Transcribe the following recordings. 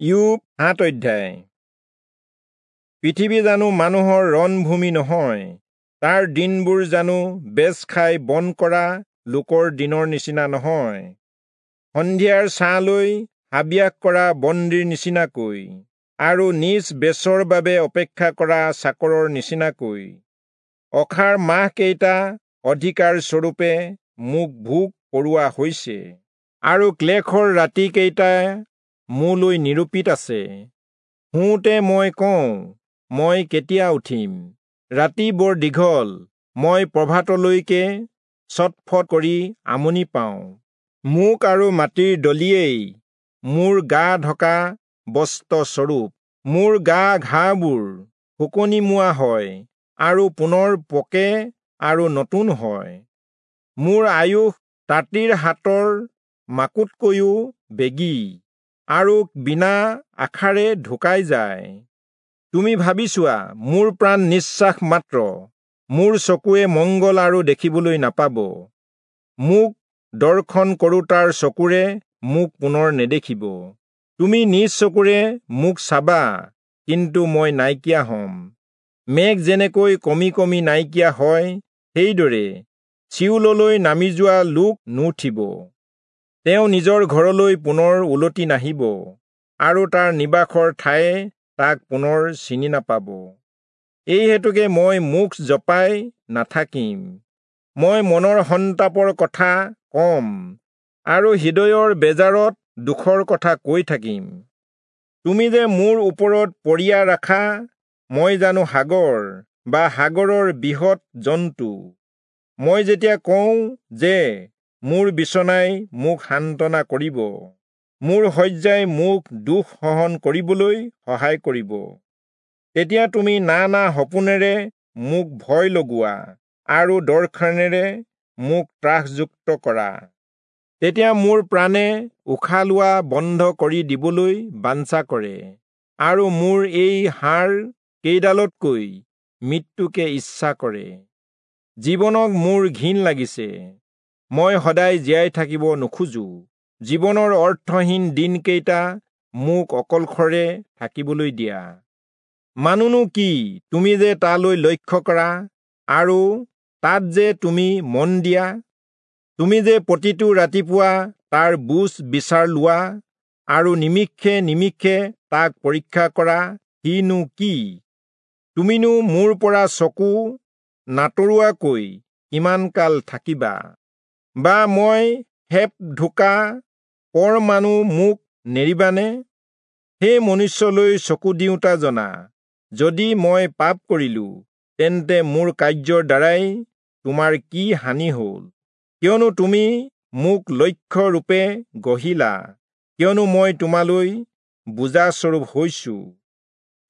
ইয়োব 7 অধ্যায়। পৃথিৱী জানো মানুহৰ ৰণভূমি নহয়? তাৰ দিনবোৰ জানো বেচ খাই বন কৰা লোকৰ দিনৰ নিচিনা নহয়? সন্ধিয়াৰ ছাঁলৈ হাবিয়াস কৰা বন্দীৰ নিচিনাকৈ আৰু নিজ বেচৰ বাবে অপেক্ষা কৰা চাকৰৰ নিচিনাকৈ অখাৰ মাহকেইটা অধিকাৰ স্বৰূপে মোক ভোগ কৰোৱা হৈছে, আৰু ক্লেশৰ ৰাতিকেইটা মোলৈ নিৰূপিত আছে। শুওঁতে মই কওঁ, মই কেতিয়া উঠিম? ৰাতি বৰ দীঘল, মই প্ৰভাতলৈকে ছটফট কৰি আমনি পাওঁ। মোক আৰু মাটিৰ দলিয়েই মোৰ গা ঢকা বস্ত্ৰস্বৰূপ। মোৰ গা ঘাঁবোৰ শুকনিমুৱা হয় আৰু পুনৰ পকে আৰু নতুন হয়। মোৰ আয়ুস তাঁতীৰ হাতৰ মাকোতকৈও বেগী আৰু বিনা আশাৰে ঢুকাই যায়। তুমি ভাবি চোৱা, মোৰ প্ৰাণ নিশ্বাস মাত্ৰ, মোৰ চকুৱে মংগল আৰু দেখিবলৈ নাপাব। মোক দৰ্শন কৰোতাৰ চকুৰে মোক পুনৰ নেদেখিব। তুমি নিজ চকুৰে মোক চাবা, কিন্তু মই নাইকিয়া হ'ম। মেঘ যেনেকৈ কমি কমি নাইকিয়া হয়, সেইদৰে চিয়োললৈ নামি যোৱা লোক নুঠিব। তেওঁ নিজৰ ঘৰলৈ পুনৰ উলটি নাহিব, আৰু তাৰ নিবাসৰ ঠায়ে তাক পুনৰ চিনি নাপাব। এই হেতুকে মই মুখ জপাই নাথাকিম। মই মনৰ সন্তাপৰ কথা কম আৰু হৃদয়ৰ বেজাৰত দুখৰ কথা কৈ থাকিম। তুমি যে মোৰ ওপৰত পৰিয়া ৰাখা, মই জানো সাগৰ বা সাগৰৰ বৃহৎ জন্তু। মই যেতিয়া কওঁ যে মোৰ বিচনাই মোক সান্তনা কৰিব, মোৰ শয্যাই মোক দুখ সহন কৰিবলৈ সহায় কৰিব, তেতিয়া তুমি নানা সপোনেৰে মোক ভয় লগোৱা আৰু দৰ্শনেৰে মোক ত্ৰাসযুক্ত কৰা। তেতিয়া মোৰ প্ৰাণে উশাহ লোৱা বন্ধ কৰি দিবলৈ বাঞ্ছা কৰে, আৰু মোৰ এই হাড় কেইডালতকৈ মৃত্যুকে ইচ্ছা কৰে। জীৱনক মোৰ ঘিণ লাগিছে, মই সদায় জীয়াই থাকিব নোখোজো। জীৱনৰ অৰ্থহীন দিনকেইটা মোক অকলশৰে থাকিবলৈ দিয়া। মানুহনো কি, তুমি যে তালৈ লক্ষ্য কৰা আৰু তাত যে তুমি মন দিয়া? তুমি যে প্ৰতিটো ৰাতিপুৱা তাৰ বুজ বিচাৰ লোৱা আৰু নিমিষে নিমিষে তাক পৰীক্ষা কৰা, সিনো কি? তুমিনো মোৰ পৰা চকু নাতৰোৱাকৈ কিমান কাল থাকিবা? বা মই সেপ ঢুকা পৰ মানুহ মোক নেৰিবানে? হে মনুষ্যলৈ চকু দিওঁতা জনা, যদি মই পাপ কৰিলো, তেন্তে মোৰ কাৰ্যৰ দ্বাৰাই তোমাৰ কি হানি হ'ল? কিয়নো তুমি মোক লক্ষ্য ৰূপে গঢ়িলা, কিয়নো মই তোমালৈ বোজাস্বৰূপ হৈছো।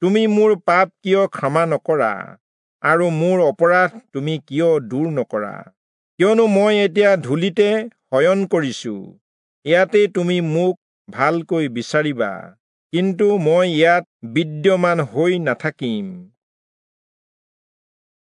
তুমি মোৰ পাপ কিয় ক্ষমা নকৰা, আৰু মোৰ অপৰাধ তুমি কিয় দূৰ নকৰা? কিয়নো মই এতিয়া ধূলিতে শয়ন কৰিছো, ইয়াতে তুমি মোক ভালকৈ বিচাৰিবা, কিন্তু মই ইয়াত বিদ্যমান হৈ নাথাকিম।